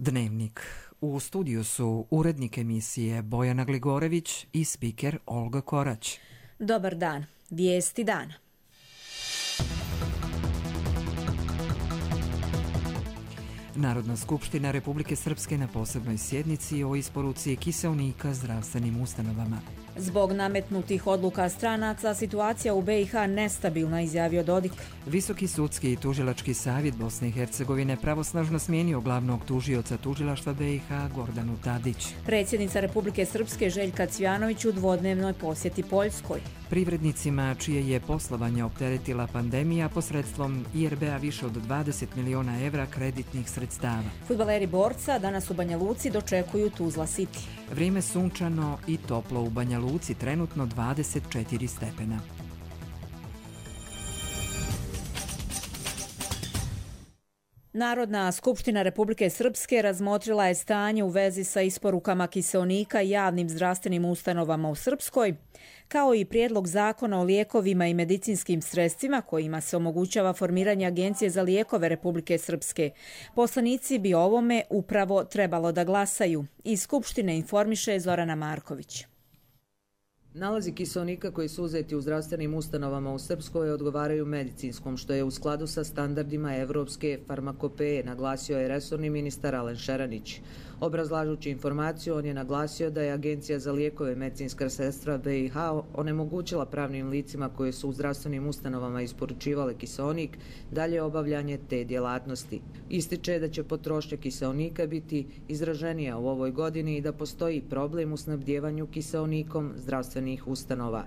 Dnevnik. U studiju su urednik emisije Bojana Gligorević i spiker Olga Korać. Dobar dan. Vijesti dana. Narodna skupština Republike Srpske na posebnoj sjednici o isporuci kiseonika zdravstvenim ustanovama. Zbog nametnutih odluka stranaca, situacija u BiH nestabilna, izjavio Dodik. Visoki sudski i tužilački savjet Bosne i Hercegovine pravosnažno smijenio glavnog tužioca tužilaštva BiH Gordanu Tadić. Predsjednica Republike Srpske Željka Cvjanović u dvodnevnoj posjeti Poljskoj. Privrednicima čije je poslovanje opteretila pandemija posredstvom IRB-a više od 20 miliona evra kreditnih sredstava. Fudbaleri Borca danas u Banja Luci dočekuju Tuzla City. Vrijeme sunčano i toplo u Banja Luci, trenutno 24 stepena. Narodna skupština Republike Srpske razmotrila je stanje u vezi sa isporukama kiseonika javnim zdravstvenim ustanovama u Srpskoj, kao i prijedlog zakona o lijekovima i medicinskim sredstvima kojima se omogućava formiranje Agencije za lijekove Republike Srpske. Poslanici bi o ovome upravo trebalo da glasaju. Iz Skupštine informiše Zorana Marković. Nalazi kiseonika koji su uzeti u zdravstvenim ustanovama u Srpskoj odgovaraju medicinskom, što je u skladu sa standardima evropske farmakopeje, naglasio je resorni ministar Alen Šeranić. Obrazlažući informaciju, on je naglasio da je Agencija za lijekove i medicinska sredstva BiH onemogućila pravnim licima koje su u zdravstvenim ustanovama isporučivale kiseonik dalje obavljanje te djelatnosti. Ističe da će potrošnja kiseonika biti izraženija u ovoj godini i da postoji problem u snabdjevanju kiseonikom zdravstvenih ustanova.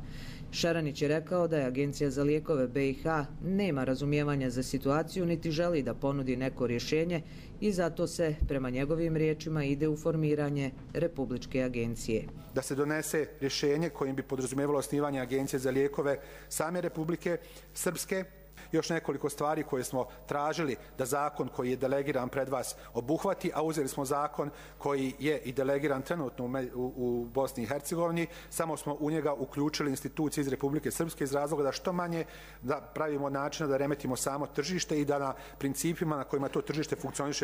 Šeranić je rekao da je Agencija za lijekove BiH nema razumijevanja za situaciju niti želi da ponudi neko rješenje i zato se, prema njegovim riječima, ide u formiranje Republičke agencije. Da se donese rješenje kojim bi podrazumijevalo osnivanje Agencije za lijekove same Republike Srpske. Još nekoliko stvari koje smo tražili da zakon koji je delegiran pred vas obuhvati, a uzeli smo zakon koji je i delegiran trenutno u Bosni i Hercegovini, samo smo u njega uključili institucije iz Republike Srpske iz razloga da što manje da pravimo načina da remetimo samo tržište i da na principima na kojima to tržište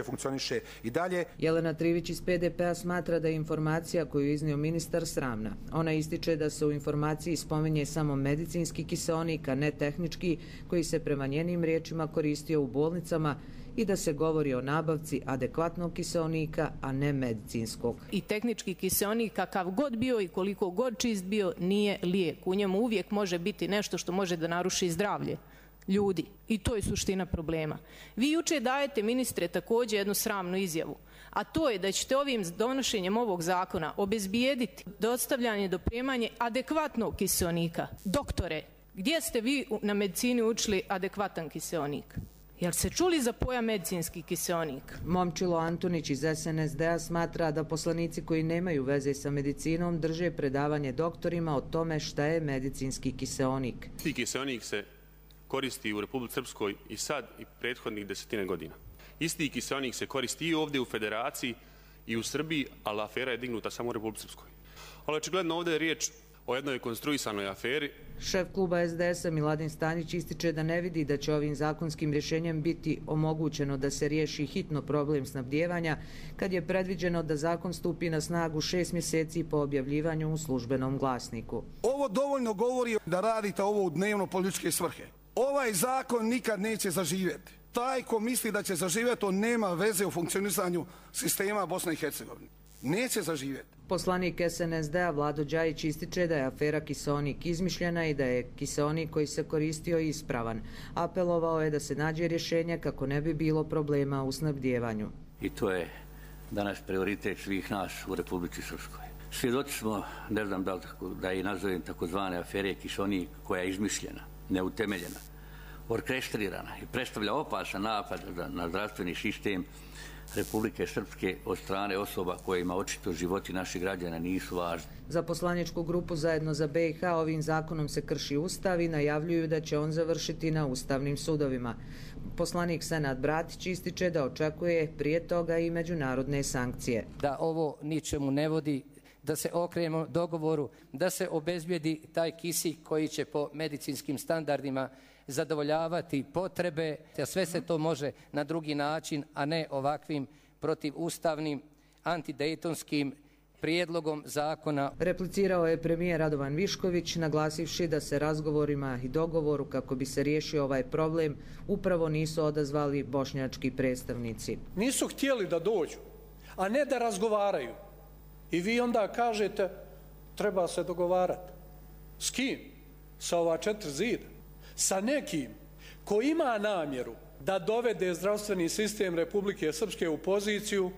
funkcioniše i dalje. Jelena Trivić iz PDP-a smatra da je informacija koju je iznio ministar sramna. Ona ističe da se u informaciji spominje samo medicinski kiseonik, a ne tehnički, koji se prema njenim riječima koristio u bolnicama i da se govori o nabavci adekvatnog kiseonika, a ne medicinskog. I tehnički kiseonik, kakav god bio i koliko god čist bio, nije lijek. U njemu uvijek može biti nešto što može da naruši zdravlje ljudi. I to je suština problema. Vi juče dajete, ministre, također jednu sramnu izjavu, a to je da ćete ovim donošenjem ovog zakona obezbijediti dostavljanje, dopremanje adekvatnog kiseonika. Doktore, gdje ste vi na medicini učili adekvatan kiseonik? Jel se čuli za pojam medicinski kiseonik? Momčilo Antonić iz SNSD-a smatra da poslanici koji nemaju veze sa medicinom drže predavanje doktorima o tome šta je medicinski kiseonik. Ti kiseonik se koristi u Republici Srpskoj i sad i prethodnih 10 godina. Isti kiseonik se koristi i ovdje u Federaciji i u Srbiji, ali afera je dignuta samo u Republici Srpskoj. Ali očigledno ovdje je riječ o jednoj konstruisanoj aferi. Šef kluba SDS-a Miladin Stanić ističe da ne vidi da će ovim zakonskim rješenjem biti omogućeno da se riješi hitno problem snabdijevanja, kad je predviđeno da zakon stupi na snagu 6 mjeseci po objavljivanju u službenom glasniku. Ovo dovoljno govori da radite ovo u dnevno političke svrhe. Ovaj zakon nikad neće zaživjeti. Taj ko misli da će zaživjeti, on nema veze u funkcionisanju sistema Bosne i Hercegovine. Neće zaživjeti. Poslanik SNSD-a Vlado Đajić ističe da je afera kiseonik izmišljena i da je kiseonik koji se koristio ispravan. Apelovao je da se nađe rješenje kako ne bi bilo problema u snabdijevanju. I to je danas prioritet svih nas u Republici Srpskoj. Svjedoci smo, ne znam da je nazovem takozvane afere kiseonik, koja je izmišljena, neutemeljena, orkestrirana i predstavlja opasan napad na zdravstveni sistem Republike Srpske od strane osoba kojima očito životi naših građana nisu važni. Za poslaničku grupu Zajedno za BiH ovim zakonom se krši ustav i najavljuju da će on završiti na ustavnim sudovima. Poslanik Senad Bratić ističe da očekuje prije toga i međunarodne sankcije. Da ovo ničemu ne vodi, da se okrenemo dogovoru, da se obezbijedi taj kisik koji će po medicinskim standardima zadovoljavati potrebe, a sve se to može na drugi način, a ne ovakvim protiv ustavnim antidejtonskim prijedlogom zakona. Replicirao je premijer Radovan Višković, naglasivši da se razgovorima i dogovoru kako bi se riješio ovaj problem upravo nisu odazvali bošnjački predstavnici. Nisu htjeli da dođu, a ne da razgovaraju. I vi onda kažete treba se dogovarati. S kim? Sa ova 4 zida. Sa nekim ko ima namjeru da dovede zdravstveni sistem Republike Srpske u poziciju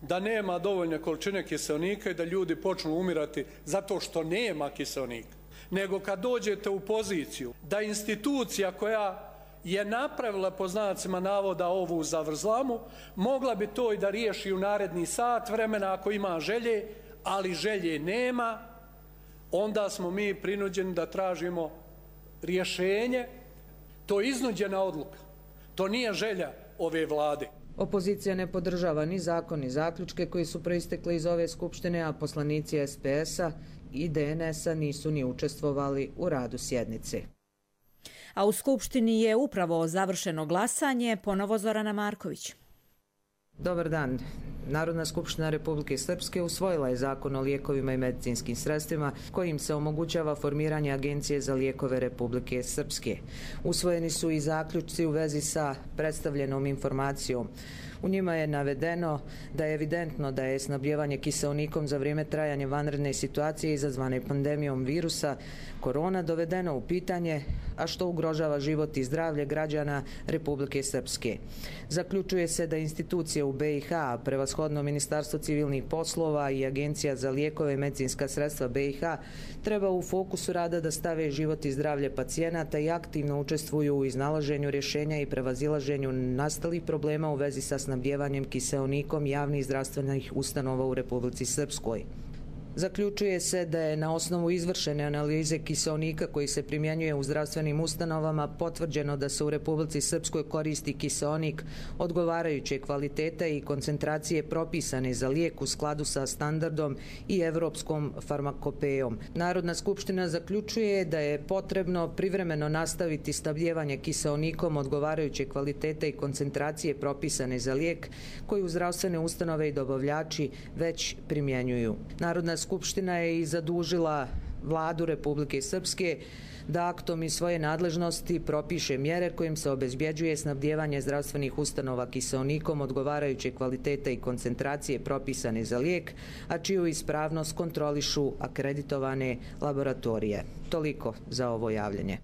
da nema dovoljne količine kiseonika i da ljudi počnu umirati zato što nema kiseonika. Nego kad dođete u poziciju da institucija koja je napravila po znacima navoda ovu zavrzlamu, mogla bi to i da riješi u naredni sat vremena ako ima želje, ali želje nema, onda smo mi prinuđeni da tražimo rješenje. To je iznuđena odluka. To nije želja ove vlade. Opozicija ne podržava ni zakon ni zaključke koji su proistekli iz ove skupštine, a poslanici SPS-a i DNS-a nisu ni učestvovali u radu sjednice. A u skupštini je upravo završeno glasanje, ponovo Zorana Marković. Dobar dan. Narodna skupština Republike Srpske usvojila je zakon o lijekovima i medicinskim sredstvima kojim se omogućava formiranje Agencije za lijekove Republike Srpske. Usvojeni su i zaključci u vezi sa predstavljenom informacijom. U njima je navedeno da je evidentno da je snabdijevanje kiseonikom za vrijeme trajanja vanredne situacije izazvane pandemijom virusa korona dovedeno u pitanje, a što ugrožava život i zdravlje građana Republike Srpske. Zaključuje se da institucije u BiH, prevashodno Ministarstvo civilnih poslova i Agencija za lijekove i medicinska sredstva BiH, treba u fokusu rada da stave život i zdravlje pacijenata i aktivno učestvuju u iznalaženju rješenja i prevazilaženju nastalih problema u vezi sa snabdjevanjem kiseonikom javnih zdravstvenih ustanova u Republici Srpskoj. Zaključuje se da je na osnovu izvršene analize kiseonika koji se primjenjuje u zdravstvenim ustanovama potvrđeno da se u Republici Srpskoj koristi kiseonik odgovarajuće kvalitete i koncentracije propisane za lijek u skladu sa standardom i evropskom farmakopejom. Narodna skupština zaključuje da je potrebno privremeno nastaviti snabdijevanje kiseonikom odgovarajuće kvalitete i koncentracije propisane za lijek koju zdravstvene ustanove i dobavljači već primjenjuju. Narodna skupština je i zadužila vladu Republike Srpske da aktom iz svoje nadležnosti propiše mjere kojim se obezbjeđuje snabdijevanje zdravstvenih ustanova kiseonikom odgovarajuće kvalitete i koncentracije propisane za lijek, a čiju ispravnost kontrolišu akreditovane laboratorije. Toliko za ovo javljanje.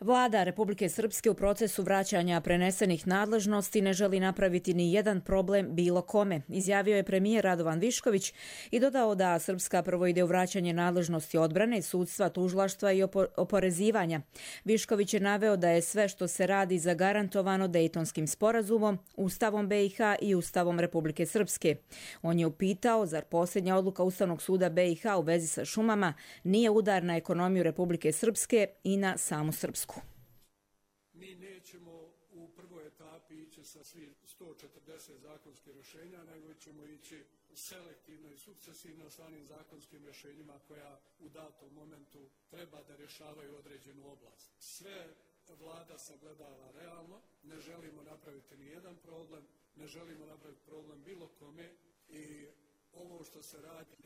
Vlada Republike Srpske u procesu vraćanja prenesenih nadležnosti ne želi napraviti ni jedan problem bilo kome, izjavio je premijer Radovan Višković i dodao da Srpska prvo ide u vraćanje nadležnosti odbrane, sudstva, tužilaštva i oporezivanja. Višković je naveo da je sve što se radi zagarantovano Dejtonskim sporazumom, Ustavom BiH i Ustavom Republike Srpske. On je upitao zar posljednja odluka Ustavnog suda BiH u vezi sa šumama nije udar na ekonomiju Republike Srpske i na samu Srpsku. Mi nećemo u prvoj etapi ići sa svih 140 zakonskih rješenja, nego ćemo ići selektivno i sukcesivno sa onim zakonskim rješenjima koja u datom momentu treba da rješavaju određenu oblast. Sve vlada sagledava realno, ne želimo napraviti ni jedan problem, ne želimo napraviti problem bilo kome i ovo što se radi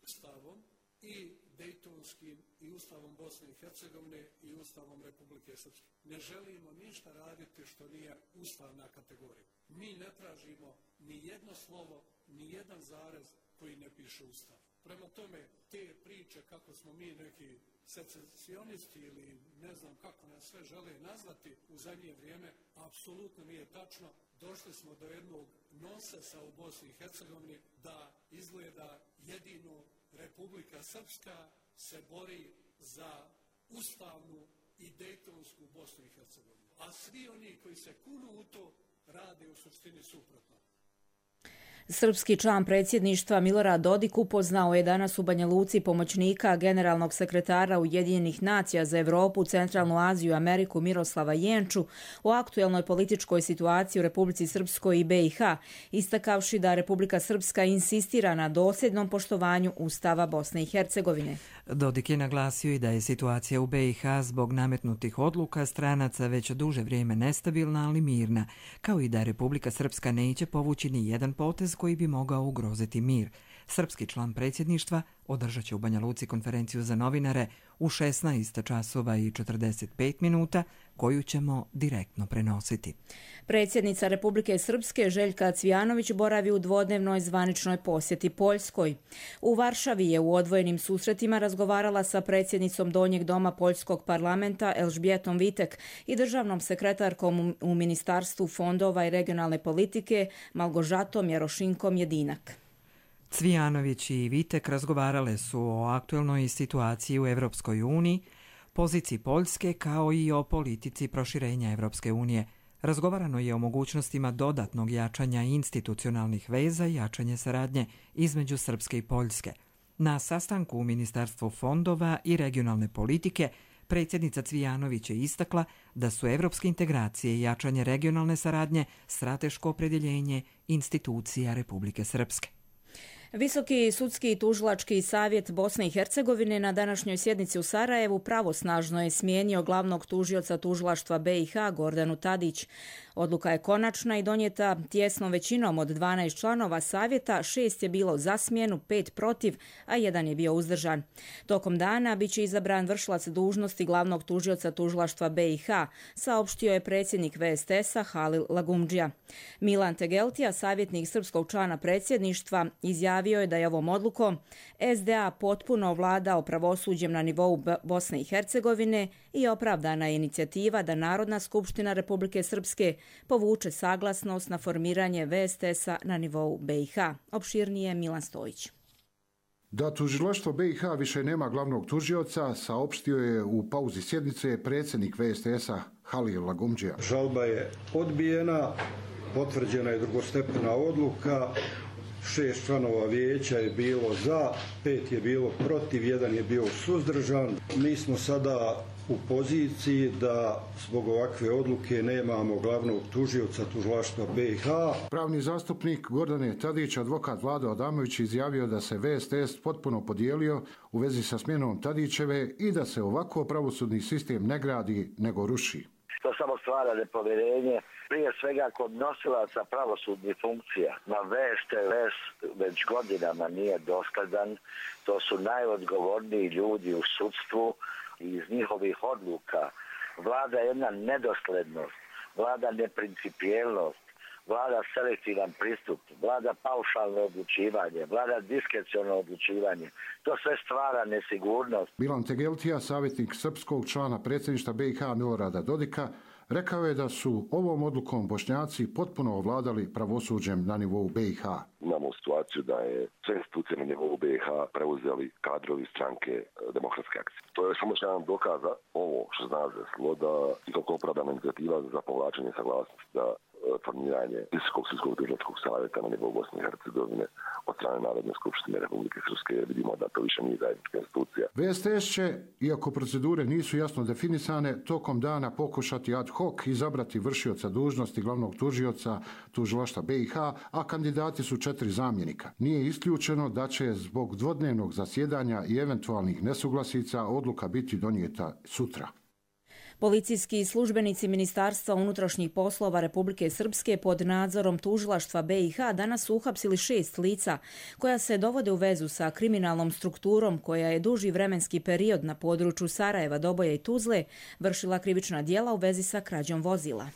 Ustavom i Dejtonskim i Ustavom Bosne i Hercegovine i Ustavom Republike Srpske. Ne želimo ništa raditi što nije ustavna kategorija. Mi ne tražimo ni jedno slovo, ni jedan zarez koji ne piše Ustav. Prema tome, te priče kako smo mi neki secesionisti ili ne znam kako nas sve žele nazvati u zadnje vrijeme, apsolutno nije tačno. Došli smo do jednog nonsesa u Bosni i Hercegovini da izgleda jedino Republika Srpska se bori za ustavnu i dejtonsku Bosnu i Hercegovinu. A svi oni koji se kunu u to rade u suštini suprotno. Srpski član predsjedništva Milorad Dodik upoznao je danas u Banja Luci pomoćnika generalnog sekretara Ujedinjenih nacija za Evropu, Centralnu Aziju i Ameriku Miroslava Jenču o aktuelnoj političkoj situaciji u Republici Srpskoj i BiH, istakavši da Republika Srpska insistira na dosljednom poštovanju Ustava Bosne i Hercegovine. Dodik je naglasio i da je situacija u BiH zbog nametnutih odluka stranaca već duže vrijeme nestabilna, ali mirna, kao i da Republika Srpska neće povući ni jedan potez koji bi mogao ugroziti mir. Srpski član predsjedništva održat će u Banja Luci konferenciju za novinare u 16 časova i 45 minuta, koju ćemo direktno prenositi. Predsjednica Republike Srpske Željka Cvijanović boravi u dvodnevnoj zvaničnoj posjeti Poljskoj. U Varšavi je u odvojenim susretima razgovarala sa predsjednicom Donjeg doma Poljskog parlamenta Elžbjetom Vitek i državnom sekretarkom u Ministarstvu fondova i regionalne politike Malgožatom Jarošinkom Jedinak. Cvijanović i Vitek razgovarale su o aktuelnoj situaciji u Evropskoj uniji, poziciji Poljske kao i o politici proširenja Evropske unije. Razgovarano je o mogućnostima dodatnog jačanja institucionalnih veza i jačanje saradnje između Srpske i Poljske. Na sastanku u Ministarstvu fondova i regionalne politike predsjednica Cvijanović je istakla da su evropske integracije i jačanje regionalne saradnje strateško opredjeljenje institucija Republike Srpske. Visoki sudski i tužilački savjet Bosne i Hercegovine na današnjoj sjednici u Sarajevu pravosnažno je smijenio glavnog tužioca tužilaštva BiH Gordanu Tadić. Odluka je konačna i donijeta tjesnom većinom od 12 članova savjeta, 6 je bilo za smjenu, 5 protiv, a 1 je bio uzdržan. Tokom dana biće izabran vršilac dužnosti glavnog tužioca tužilaštva BiH, saopštio je predsjednik VSTS-a Halil Lagumdžija. Milan Tegeltija, savjetnik srpskog člana predsjedništva, izjavio je da je ovom odlukom SDA potpuno ovladao pravosuđem na nivou Bosne i Hercegovine i opravdana je inicijativa da Narodna skupština Republike Srpske povuče saglasnost na formiranje VSTS-a na nivou BiH. Opširnije Milan Stojić. Da tužilaštvo BiH više nema glavnog tužioca, saopštio je u pauzi sjednice predsjednik VSTS-a Halil Lagumdžija. Žalba je odbijena, potvrđena je drugostepena odluka. 6 članova vijeća je bilo za, 5 je bilo protiv, 1 je bio suzdržan. Mi smo sada u poziciji da zbog ovakve odluke nemamo glavnog tužioca tužilaštva BiH. Pravni zastupnik Gordane Tadić, advokat Vlado Adamović, izjavio da se VSTS potpuno podijelio u vezi sa smjenom Tadićeve i da se ovako pravosudni sistem ne gradi nego ruši. To samo stvara nepovjerenje, prije svega kod nosilaca pravosudnih funkcija. Na VSTS već godinama nije dosljedan, to su najodgovorniji ljudi u sudstvu i iz njihovih odluka vlada jedna nedoslednost, vlada neprincipijelnost, vlada selektivan pristup, vlada paušalno odlučivanje, vlada diskreciono odlučivanje. To sve stvara nesigurnost. Milan Tegeltija, savjetnik srpskog člana predsjedništva BiH Milorada Dodika, rekao je da su ovom odlukom Bošnjaci potpuno ovladali pravosuđem na nivou BiH. Imamo situaciju da je sve institucije na nivou BiH preuzeli kadrovi stranke Demokratske akcije. To je samo jedan dokaza ovo što zna desilo da toliko opravdana inicijativa za povlačenje saglasnosti za formiranje Visokog sudskog tužilačkog savjeta na nivou Bosne i Hercegovine od strane Narodne skupštine Republike Srpske. Vidimo da to više nije zajednička institucija. VSTS će, iako procedure nisu jasno definisane, tokom dana pokušati ad hoc izabrati vršioca dužnosti glavnog tužioca tužilaštva BiH, a kandidati su 4 zamjenika. Nije isključeno da će zbog dvodnevnog zasjedanja i eventualnih nesuglasica odluka biti donijeta sutra. Policijski službenici Ministarstva unutrašnjih poslova Republike Srpske pod nadzorom tužilaštva BiH danas su uhapsili 6 lica koja se dovode u vezu sa kriminalnom strukturom koja je duži vremenski period na području Sarajeva, Doboja i Tuzle vršila krivična djela u vezi sa krađom vozila.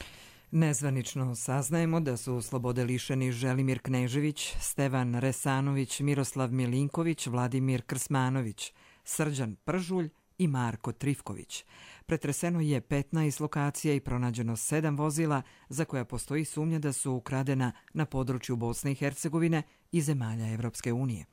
Nezvanično saznajemo da su slobode lišeni Želimir Knežević, Stevan Resanović, Miroslav Milinković, Vladimir Krsmanović, Srđan Pržulj i Marko Trifković. Pretreseno je 15 lokacija i pronađeno 7 vozila za koja postoji sumnja da su ukradena na području Bosne i Hercegovine i zemalja Evropske unije.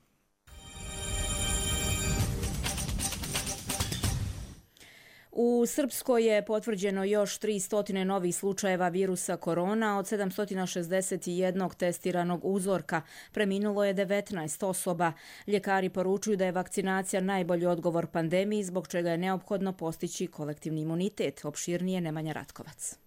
U Srpskoj je potvrđeno još 300 novih slučajeva virusa korona od 761 testiranog uzorka. Preminulo je 19 osoba. Ljekari poručuju da je vakcinacija najbolji odgovor pandemiji, zbog čega je neophodno postići kolektivni imunitet. Opširnije Nemanja Ratkovac.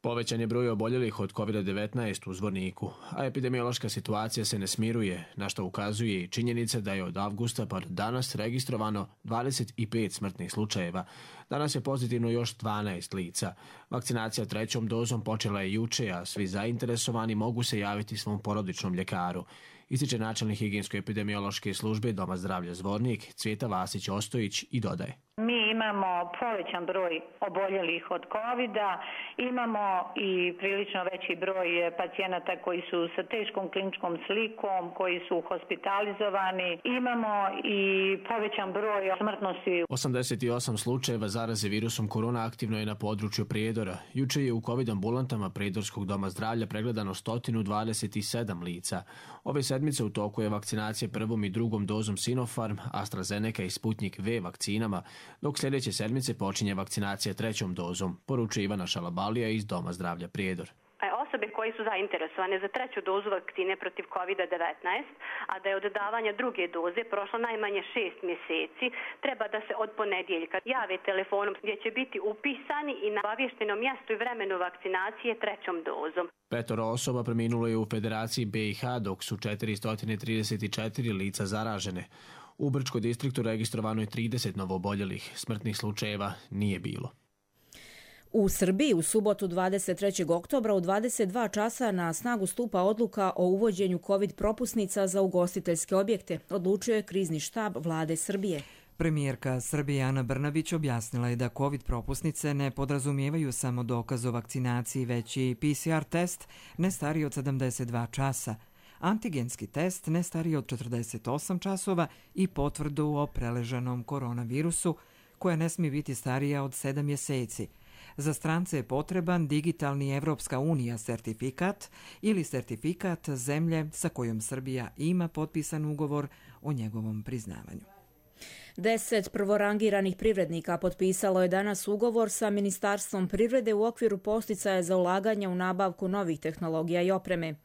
Povećan je broj oboljelih od COVID-19 u Zvorniku, a epidemiološka situacija se ne smiruje, na što ukazuje i činjenica da je od avgusta pa do danas registrovano 25 smrtnih slučajeva. Danas je pozitivno još 12 lica. Vakcinacija 3. dozom počela je juče, a svi zainteresovani mogu se javiti svom porodičnom ljekaru. Ističe načelnik higijensko-epidemiološke službe Doma zdravlja Zvornik, Cvjeta Vasić-Ostojić i dodaje. Mi imamo povećan broj oboljelih od COVID-a, imamo i prilično veći broj pacijenata koji su sa teškom kliničkom slikom, koji su hospitalizovani, imamo i povećan broj smrtnosti. 88 slučajeva zaraze virusom korona aktivno je na području Prijedora. Juče je u COVID ambulantama Prijedorskog doma zdravlja pregledano 127 lica. Ove sedmice u toku je vakcinacija 1. i 2. dozom Sinopharm, AstraZeneca i Sputnik V vakcinama, dok sljedeće sedmice počinje vakcinacija 3. dozom, poručuje Ivana Šalabalija iz Doma zdravlja Prijedor. Osobe koji su zainteresovane za 3. dozu vakcine protiv COVID-19, a da je od davanja 2. doze prošlo najmanje 6 mjeseci, treba da se od ponedjeljka jave telefonom gdje će biti upisani i na obaviještenom mjestu i vremenu vakcinacije 3. dozom. 5 osoba preminulo je u Federaciji BiH, dok su 434 lica zaražene. U Brčkoj distriktu registrovano je 30 novooboljelih, smrtnih slučajeva nije bilo. U Srbiji u subotu 23. oktobra u 22 časa na snagu stupa odluka o uvođenju COVID propusnica za ugostiteljske objekte, odlučio je krizni štab vlade Srbije. Premijerka Srbije Ana Brnabić objasnila je da COVID propusnice ne podrazumijevaju samo dokaz o vakcinaciji, već i PCR test ne stariji od 72 časa, antigenski test ne stariji od 48 časova i potvrdu o preležanom koronavirusu koja ne smije biti starija od 7 mjeseci. Za strance je potreban digitalni Evropska unija sertifikat ili sertifikat zemlje sa kojom Srbija ima potpisan ugovor o njegovom priznavanju. 10 prvorangiranih privrednika potpisalo je danas ugovor sa Ministarstvom privrede u okviru podsticaja za ulaganje u nabavku novih tehnologija i opreme.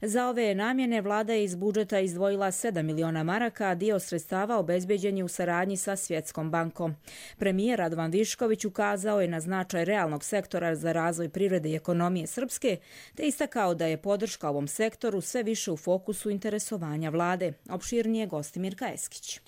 Za ove namjene vlada je iz budžeta izdvojila 7 miliona maraka, a dio sredstava obezbeđen je u saradnji sa Svjetskom bankom. Premijer Radovan Višković ukazao je na značaj realnog sektora za razvoj privrede i ekonomije Srpske, te istakao da je podrška ovom sektoru sve više u fokusu interesovanja vlade. Opširnije Gostimir Kajeskić.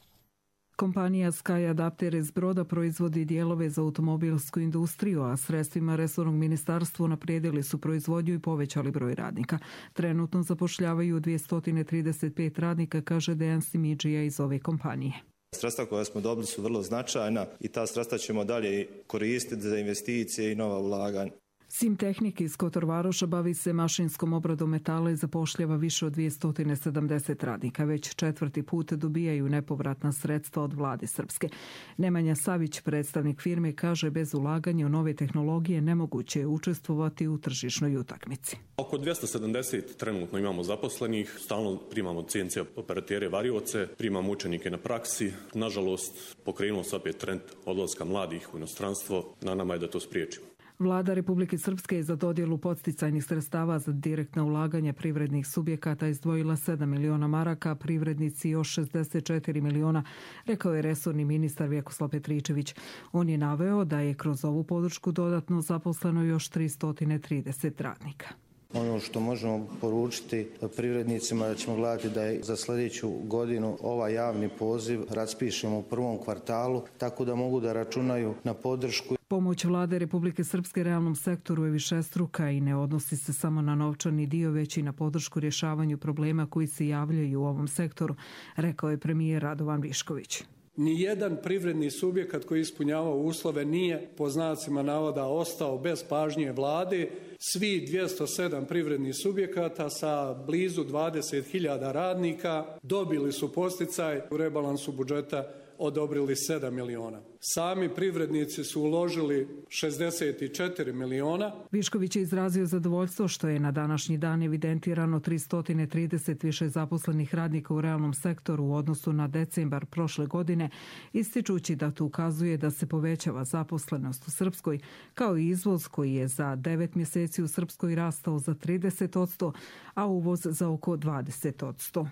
Kompanija Sky Adapter iz Broda proizvodi dijelove za automobilsku industriju, a sredstvima resornog ministarstva unaprijedili su proizvodnju i povećali broj radnika. Trenutno zapošljavaju 235 radnika, kaže Dejan Simidžija iz ove kompanije. Sredstva koja smo dobili su vrlo značajna i ta sredstva ćemo dalje koristiti za investicije i nova ulaganja. Simtehnik iz Kotorvaroša bavi se mašinskom obradom metala i zapošljava više od 270 radnika. Već 4. put dobijaju nepovratna sredstva od vlade Srpske. Nemanja Savić, predstavnik firme, kaže bez ulaganja u nove tehnologije nemoguće je učestvovati u tržišnoj utakmici. Oko 270 trenutno imamo zaposlenih, stalno primamo CNC operatere varioce, primamo učenike na praksi. Nažalost, pokrenuo se opet trend odlaska mladih u inostranstvo, na nama je da to spriječimo. Vlada Republike Srpske je za dodjelu podsticajnih sredstava za direktna ulaganja privrednih subjekata izdvojila 7 miliona maraka, privrednici još 64 miliona, rekao je resorni ministar Vjekoslav Petričević. On je naveo da je kroz ovu podršku dodatno zaposleno još 330 radnika. Ono što možemo poručiti privrednicima da ćemo gledati da je za sljedeću godinu ovaj javni poziv raspišemo u prvom kvartalu, tako da mogu da računaju na podršku. Pomoć vlade Republike Srpske realnom sektoru je višestruka i ne odnosi se samo na novčani dio, već i na podršku rješavanju problema koji se javljaju u ovom sektoru, rekao je premijer Radovan Višković. Nijedan privredni subjekat koji ispunjava uslove nije, po znacima navoda, ostao bez pažnje vlade. Svi 207 privrednih subjekata sa blizu 20.000 radnika dobili su podsticaj u rebalansu budžeta odobrili 7 miliona. Sami privrednici su uložili 64 miliona. Višković je izrazio zadovoljstvo što je na današnji dan evidentirano 330 više zaposlenih radnika u realnom sektoru u odnosu na decembar prošle godine, ističući da to ukazuje da se povećava zaposlenost u Srpskoj, kao i izvoz koji je za 9 mjeseci u Srpskoj rastao za 30%, a uvoz za oko 20%.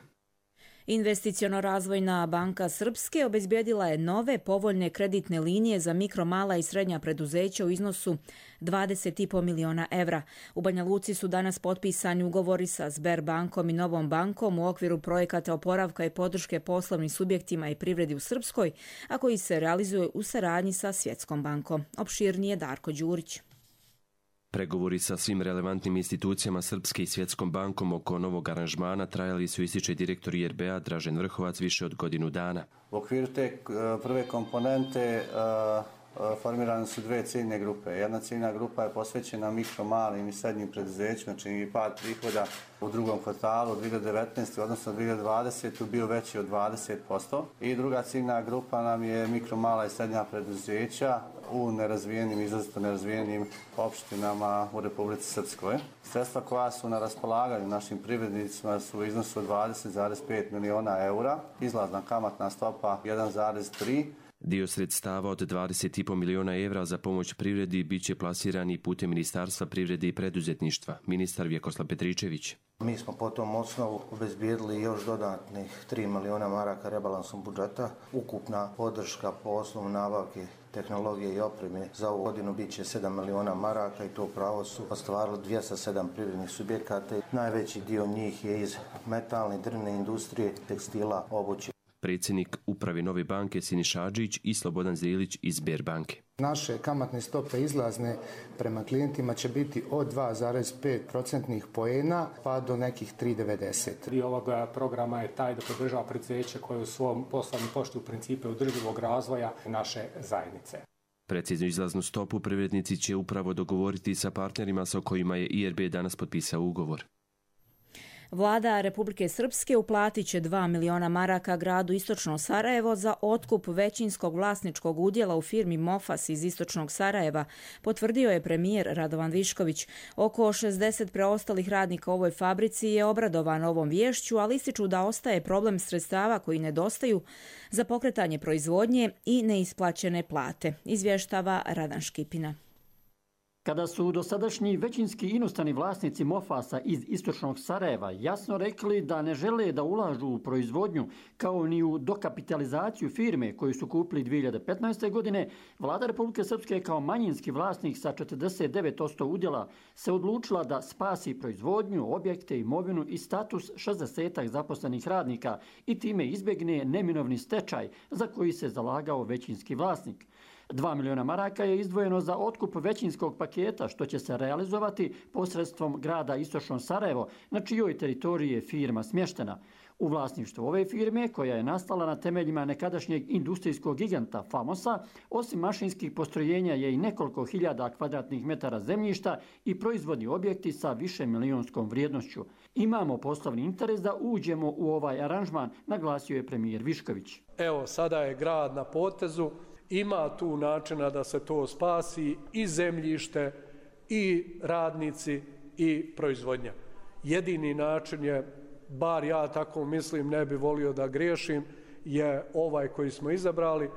Investiciono-razvojna banka Srpske obezbijedila je nove povoljne kreditne linije za mikro, mala i srednja preduzeća u iznosu 20,5 miliona evra. U Banja Luci su danas potpisani ugovori sa Sberbankom i Novom bankom u okviru projekata oporavka i podrške poslovnim subjektima i privredi u Srpskoj, a koji se realizuje u saradnji sa Svjetskom bankom. Opširnije Darko Đurić. Pregovori sa svim relevantnim institucijama Srpske i Svjetskom bankom oko novog aranžmana trajali su, ističe direktor IRB-a Dražen Vrhovac, više od godinu dana. U okviru te prve komponente formirane su dve ciljne grupe. Jedna ciljna grupa je posvećena mikro, malim i srednjim preduzećima, čini je pad prihoda u drugom kvartalu 2019. odnosno 2020. bio veći od 20%. I druga ciljna grupa nam je mikro, mala i srednja preduzeća u nerazvijenim, izrazito nerazvijenim opštinama u Republici Srpskoj. Sredstva koja su na raspolaganju našim privrednicima su u iznosu od 20,5 miliona eura, izlazna kamatna stopa 1,3. Dio sredstava od 20,5 miliona evra za pomoć privredi bit će plasirani putem Ministarstva privrede i preduzetništva, ministar Vjekoslav Petričević. Mi smo po tom osnovu obezbijedili još dodatnih 3 miliona maraka rebalansom budžeta. Ukupna podrška po osnovu nabavke tehnologije i opreme za ovu godinu bit će 7 miliona maraka i to pravo su ostvarili 207 privrednih subjekata. Najveći dio njih je iz metalne, drvne industrije, tekstila, obuće. Predsjednik uprave Nove banke Siniša Adžić i Slobodan Zrilić iz Sberbanke. Naše kamatne stope izlazne prema klijentima će biti od 2,5% poena pa do nekih 3,90. Dio ovoga programa je taj da podržava preduzeće koje u svom poslovnom poštuju principe održivog razvoja naše zajednice. Preciznu izlaznu stopu privrednici će upravo dogovoriti sa partnerima sa kojima je IRB danas potpisao ugovor. Vlada Republike Srpske uplatit će 2 miliona maraka gradu Istočno Sarajevo za otkup većinskog vlasničkog udjela u firmi Mofas iz Istočnog Sarajeva, potvrdio je premijer Radovan Višković. Oko 60 preostalih radnika u ovoj fabrici je obradovano ovom viješću, ali ističu da ostaje problem sredstava koji nedostaju za pokretanje proizvodnje i neisplaćene plate, izvještava Radan Škipina. Kada su dosadašnji većinski inostrani vlasnici Mofasa iz Istočnog Sarajeva jasno rekli da ne žele da ulažu u proizvodnju kao ni u dokapitalizaciju firme koju su kupili 2015. godine, Vlada Republike Srpske kao manjinski vlasnik sa 49% udjela se odlučila da spasi proizvodnju, objekte, imovinu i status 60 zaposlenih radnika i time izbjegne neminovni stečaj za koji se zalagao većinski vlasnik. 2 miliona maraka je izdvojeno za otkup većinskog paketa, što će se realizovati posredstvom grada Istočno Sarajevo, na čijoj teritoriji je firma smještena. U vlasništvu ove firme, koja je nastala na temeljima nekadašnjeg industrijskog giganta Famosa, osim mašinskih postrojenja je i nekoliko hiljada kvadratnih metara zemljišta i proizvodni objekti sa više milionskom vrijednošću. Imamo poslovni interes da uđemo u ovaj aranžman, naglasio je premijer Višković. Evo, sada je grad na potezu. Ima tu načina da se to spasi i zemljište, i radnici, i proizvodnja. Jedini način je, bar ja tako mislim, ne bi volio da griješim, je ovaj koji smo izabrali.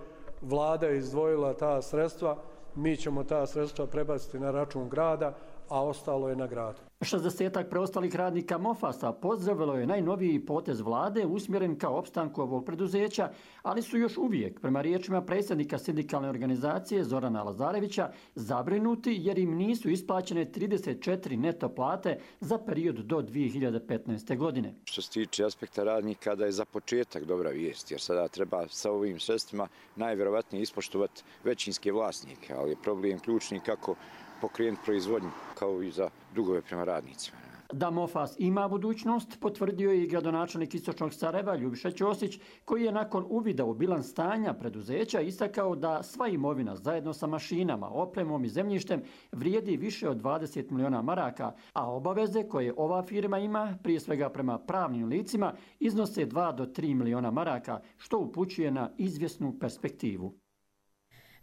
Vlada je izdvojila ta sredstva, mi ćemo ta sredstva prebaciti na račun grada, a ostalo je na gradu. 60 preostalih radnika Mofasa pozdravilo je najnoviji potez vlade usmjeren ka opstanku ovog preduzeća, ali su još uvijek, prema riječima predsjednika sindikalne organizacije Zorana Lazarevića, zabrinuti jer im nisu isplaćene 34 neto plate za period do 2015. godine. Što se tiče aspekta radnika, da je za početak dobra vijest, jer sada treba sa ovim sredstvima najvjerovatnije ispoštovati većinske vlasnike, ali je problem ključni kako pokrenuti proizvodnju, kao i za dugove prema radnicima. Da Mofas ima budućnost, potvrdio je i gradonačelnik Istočnog Sarajeva Ljubiša Ćosić, koji je nakon uvida u bilans stanja preduzeća istakao da sva imovina zajedno sa mašinama, opremom i zemljištem vrijedi više od 20 miliona maraka, a obaveze koje ova firma ima, prije svega prema pravnim licima, iznose 2 do 3 miliona maraka, što upućuje na izvjesnu perspektivu.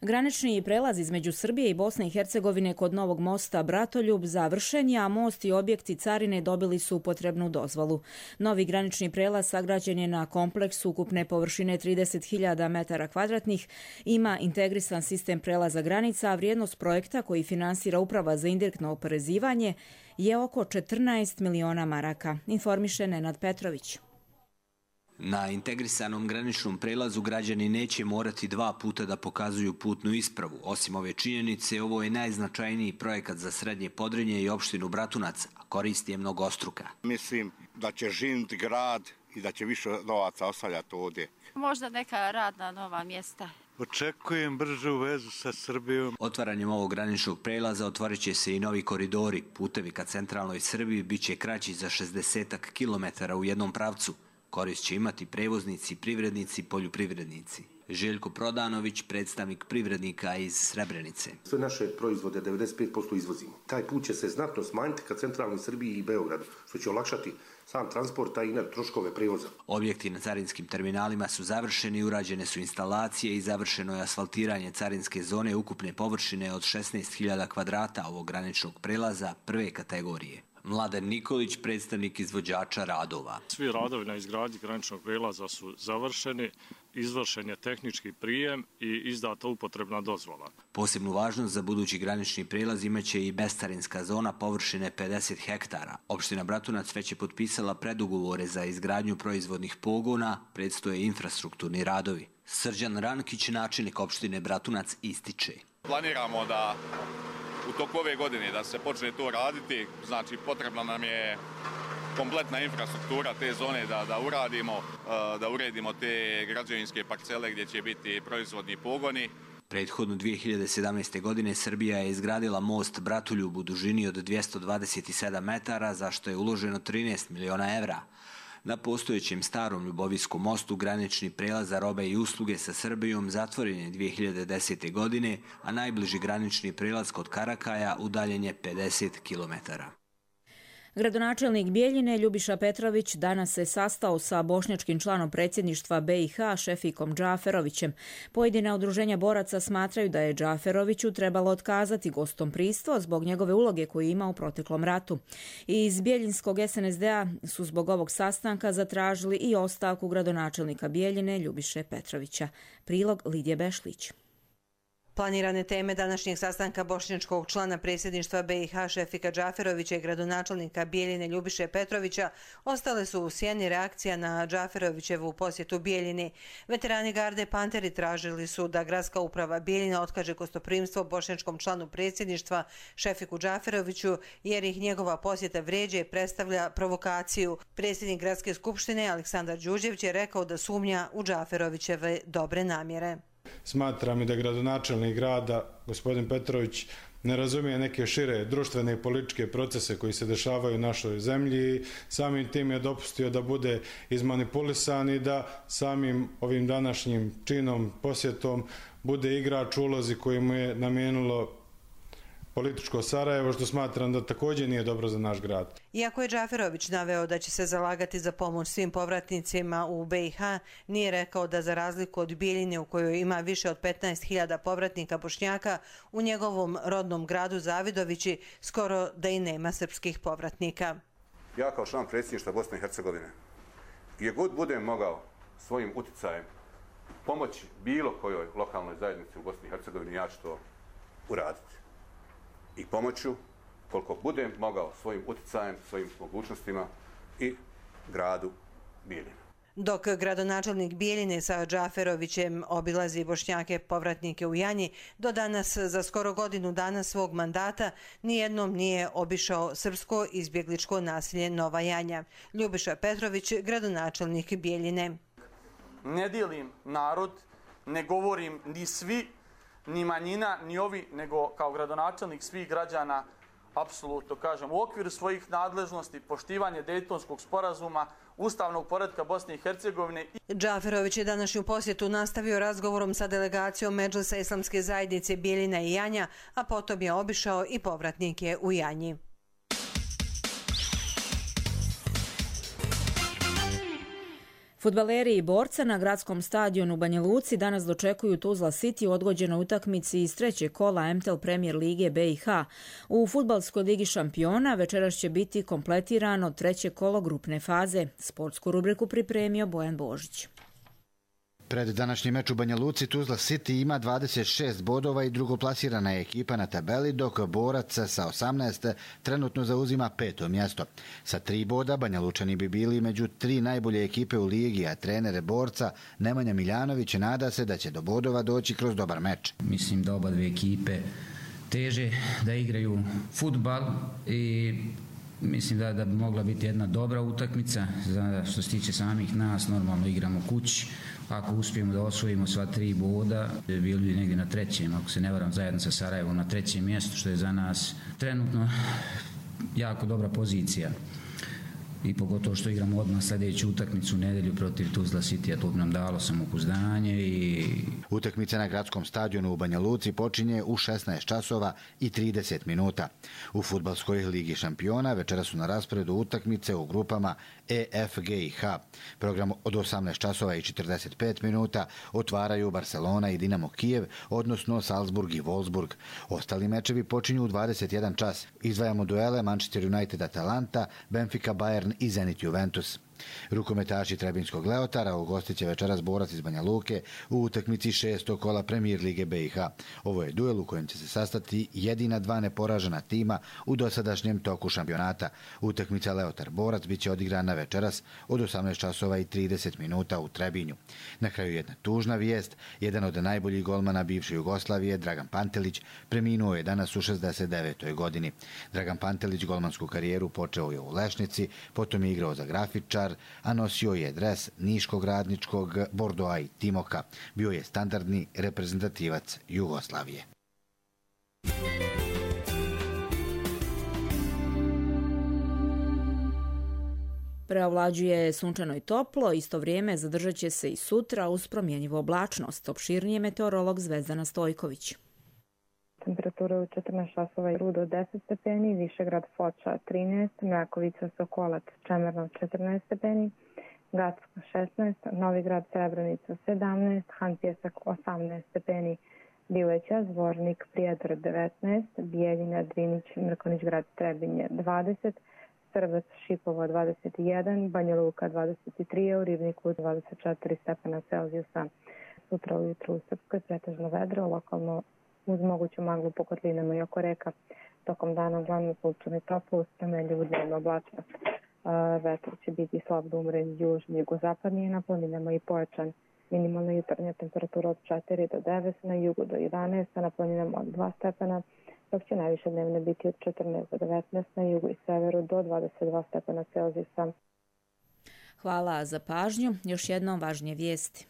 Granični prelaz između Srbije i Bosne i Hercegovine kod Novog mosta Bratoljub završen je, a most i objekti carine dobili su potrebnu dozvolu. Novi granični prelaz sagrađen je na kompleksu ukupne površine 30.000 metara kvadratnih, ima integrisan sistem prelaza granica, a vrijednost projekta koji finansira Uprava za indirektno oporezivanje je oko 14 miliona maraka, informiše Nenad Petrović. Na integrisanom graničnom prelazu građani neće morati 2 puta da pokazuju putnu ispravu. Osim ove činjenice, ovo je najznačajniji projekat za Srednje Podrinje i opštinu Bratunac, a korist je mnogostruka. Mislim da će živjeti grad i da će više novaca ostavljati ovdje. Možda neka radna nova mjesta. Očekujem bržu vezu sa Srbijom. Otvaranjem ovog graničnog prelaza otvorit će se i novi koridori. Putevi ka centralnoj Srbiji bit će kraći za 60 km u jednom pravcu. Korist će imati prevoznici, privrednici, poljoprivrednici. Željko Prodanović, predstavnik privrednika iz Srebrenice. Sve naše proizvode 95% izvozimo. Taj put će se znatno smanjiti ka centralnoj Srbiji i Beogradu, što će olakšati sam transport, a i troškove prevoza. Objekti na carinskim terminalima su završeni, urađene su instalacije i završeno je asfaltiranje carinske zone ukupne površine od 16.000 kvadrata ovog graničnog prelaza prve kategorije. Mladen Nikolić, predstavnik izvođača radova. Svi radovi na izgradnji graničnog prelaza su završeni, izvršen je tehnički prijem i izdata upotrebna dozvola. Posebnu važnost za budući granični prelaz imaće i bescarinska zona površine 50 hektara. Opština Bratunac već je potpisala predugovore za izgradnju proizvodnih pogona, predstoje infrastrukturni radovi. Srđan Rankić, načelnik opštine Bratunac, ističe. Planiramo da u toku ove godine da se počne to raditi, znači potrebna nam je kompletna infrastruktura te zone da uredimo te građevinske parcele gdje će biti proizvodni pogoni. Prethodno 2017. godine Srbija je izgradila most Bratoljub u dužini od 227 metara, za što je uloženo 13 miliona evra. Na postojećem starom Ljubovijskom mostu granični prelaz za robe i usluge sa Srbijom zatvoren je 2010. godine, a najbliži granični prelaz kod Karakaja udaljen je 50 kilometara. Gradonačelnik Bijeljine Ljubiša Petrović danas se sastao sa bošnjačkim članom predsjedništva BiH Šefikom Džaferovićem. Pojedina udruženja boraca smatraju da je Džaferoviću trebalo otkazati gostompristvo zbog njegove uloge koju ima u proteklom ratu. Iz Bijeljinskog SNSD-a su zbog ovog sastanka zatražili i ostavku gradonačelnika Bijeljine Ljubiše Petrovića. Prilog Lidije Bešlić. Planirane teme današnjeg sastanka bošnjačkog člana predsjedništva BiH Šefika Džaferovića i gradonačelnika Bijeljine Ljubiše Petrovića ostale su u sjeni reakcija na Džaferovićevu posjetu Bijeljini. Veterani garde Panteri tražili su da gradska uprava Bijeljina otkaže gostoprimstvo bošnjačkom članu predsjedništva Šefiku Džaferoviću jer ih njegova posjeta vrijeđa i predstavlja provokaciju. Predsjednik gradske skupštine Aleksandar Đurđević je rekao da sumnja u Džaferovićeve dobre namjere. Smatram i da gradonačelnik grada, gospodin Petrović, ne razumije neke šire društvene i političke procese koji se dešavaju u našoj zemlji. Samim tim je dopustio da bude izmanipulisan i da samim ovim današnjim činom, posjetom, bude igrač u ulozi koju mu je namijenilo političko Sarajevo, što smatram da također nije dobro za naš grad. Iako je Džaferović naveo da će se zalagati za pomoć svim povratnicima u BiH, nije rekao da za razliku od Bijeljine u kojoj ima više od 15.000 povratnika Bošnjaka, u njegovom rodnom gradu Zavidovići skoro da i nema srpskih povratnika. Ja kao član predsjedništva Bosne i Hercegovine, gdje god budem mogao svojim uticajem pomoći bilo kojoj lokalnoj zajednici u Bosni i Hercegovini, ja ću to uraditi. I pomoću koliko budem mogao svojim uticajem, svojim mogućnostima i gradu Bijeljina. Dok gradonačelnik Bijeljine sa Džaferovićem obilazi Bošnjake povratnike u Janji, do danas za skoro godinu dana svog mandata nijednom nije obišao srpsko izbjegličko naselje Nova Janja. Ljubiša Petrović, gradonačelnik Bijeljine. Ne dijelim narod, ne govorim ni svi, ni manjina, ni ovi, nego kao gradonačelnik svih građana apsolutno kažem, u okviru svojih nadležnosti, poštivanje Dejtonskog sporazuma, ustavnog poretka Bosne i Hercegovine. Džaferović je današnju posjetu nastavio razgovorom sa delegacijom Medžlisa Islamske zajednice Bijeljina i Janja, a potom je obišao i povratnike u Janji. Fudbaleri i borca na gradskom stadionu u Banja Luci danas dočekuju Tuzla City u odgođenoj utakmici iz trećeg kola MTEL Premier Lige BiH. U fudbalskoj ligi šampiona večeras će biti kompletirano treće kolo grupne faze. Sportsku rubriku pripremio Bojan Božić. Pred današnji meč u Banja Luci Tuzla City ima 26 bodova i drugoplasirana je ekipa na tabeli, dok Borac sa 18 trenutno zauzima 5. mjesto. Sa 3 boda Banja Lučani bi bili među 3 najbolje ekipe u ligi, a trenere Borca Nemanja Miljanović nada se da će do bodova doći kroz dobar meč. Mislim da oba dve ekipe teže da igraju fudbal i mislim da bi mogla biti jedna dobra utakmica. Što se tiče samih nas, normalno igramo kući. Ako uspijemo da osvojimo sva 3 boda, bili bi negdje na trećem, ako se ne varam, zajedno sa Sarajevom na trećem mjestu, što je za nas trenutno jako dobra pozicija. I pogotovo što igramo odmah sljedeću utakmicu u nedjelju protiv Tuzla City, a to bi nam dalo samopouzdanje. Utakmica na gradskom stadionu u Banja Luci počinje u 16 časova i 30 minuta. U fudbalskoj ligi šampiona večera su na rasporedu utakmice u grupama E, F, G i H. Program od 18 časova i 45 minuta otvaraju Barcelona i Dinamo Kijev, odnosno Salzburg i Wolfsburg. Ostali mečevi počinju u 21 čas. Izdvajamo duele Manchester United Atalanta, Benfica Bayern i Zenit Juventus. Rukometaši Trebinskog Leotara ugostit će večeras Borac iz Banja Luke u utakmici 6. kola Premier Lige BiH. Ovo je duel u kojem će se sastati jedina 2 neporažena tima u dosadašnjem toku šampionata. Utakmica Leotar-Borac biće odigrana večeras od 18 časova i 30 minuta u Trebinju. Na kraju jedna tužna vijest. Jedan od najboljih golmana bivše Jugoslavije, Dragan Pantelić, preminuo je danas u 69. godini. Dragan Pantelić golmansku karijeru počeo je u Lešnici, potom je igrao za Grafičar, a nosio je dres Niškog Radničkog, Bordoa i Timoka. Bio je standardni reprezentativac Jugoslavije. Preovlađuje sunčano i toplo, isto vrijeme zadržat će se i sutra uz promjenjivu oblačnost. Opširnije meteorolog Zvezdana Stojković. Temperatura u 14 časova i Rudo 10 stepeni, Višegrad Foča 13, Mrakovica Sokolac Čemerno 14 stepeni, Gacko 16, Novigrad Srebrenica 17, Han Pjesak 18 stepeni, Bileća, Zvornik, Prijedor 19, Bijeljina, Drinić, Mrkonić Grad Trebinje 20, Srbac Šipovo 21, Banja Luka 23, u Ribniku 24 stepena Celzijusa. Sutra ujutru u Srpskoj pretežno vedro, lokalno uz moguću maglu po kotlinama i oko reka. Tokom dana uglavnom sunčano i toplo, uz promjenjivu dnevnu oblačnost. Vetar će biti slab do umeren južni, jugozapadniji, na planinama i pojačan. Minimalna jutarnja temperatura od 4 do 9, na jugu do 11, a na planinama od 2 stepena, dok će najviše dnevne biti od 14 do 19, na jugu i severu do 22 stepena Celzijusa. Hvala za pažnju. Još jednom važnije vijesti.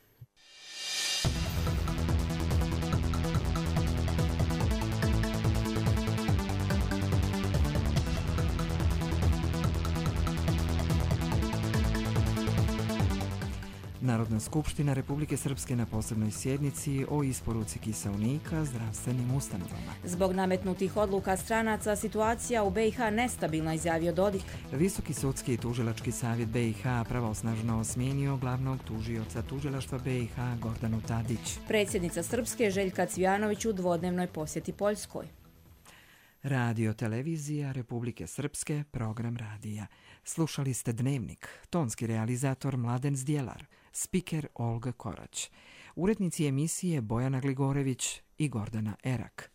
Narodna skupština Republike Srpske na posebnoj sjednici o isporuci kiseonika zdravstvenim ustanovama. Zbog nametnutih odluka stranaca situacija u BiH nestabilna, izjavio Dodik. Visoki sudski i tužilački savjet BiH pravosnažno smijenio glavnog tužioca tužilaštva BiH Gordanu Tadić. Predsjednica Srpske Željka Cvijanović u dvodnevnoj posjeti Poljskoj. Radio televizija Republike Srpske, program radija. Slušali ste Dnevnik, tonski realizator Mladen Zdjelar, spiker Olga Korać, urednici emisije Bojana Gligorević i Gordana Erak.